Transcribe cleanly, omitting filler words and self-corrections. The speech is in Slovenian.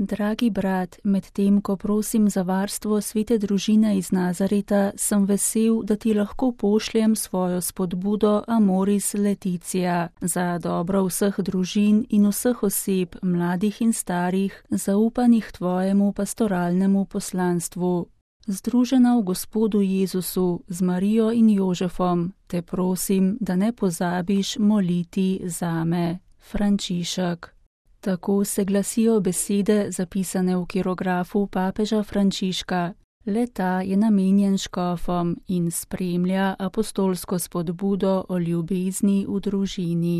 Dragi brat, medtem ko prosim za varstvo svete družine iz Nazareta, sem vesel, da ti lahko pošljem svojo spodbudo Amoris Laetitia za dobro vseh družin in vseh oseb, mladih in starih, zaupanih tvojemu pastoralnemu poslanstvu. Združena v Gospodu Jezusu z Marijo in Jožefom, te prosim, da ne pozabiš moliti zame. Frančišek. Tako se glasijo besede, zapisane v kirografu papeža Frančiška. Le-ta je namenjen škofom in spremlja apostolsko spodbudo o ljubezni v družini.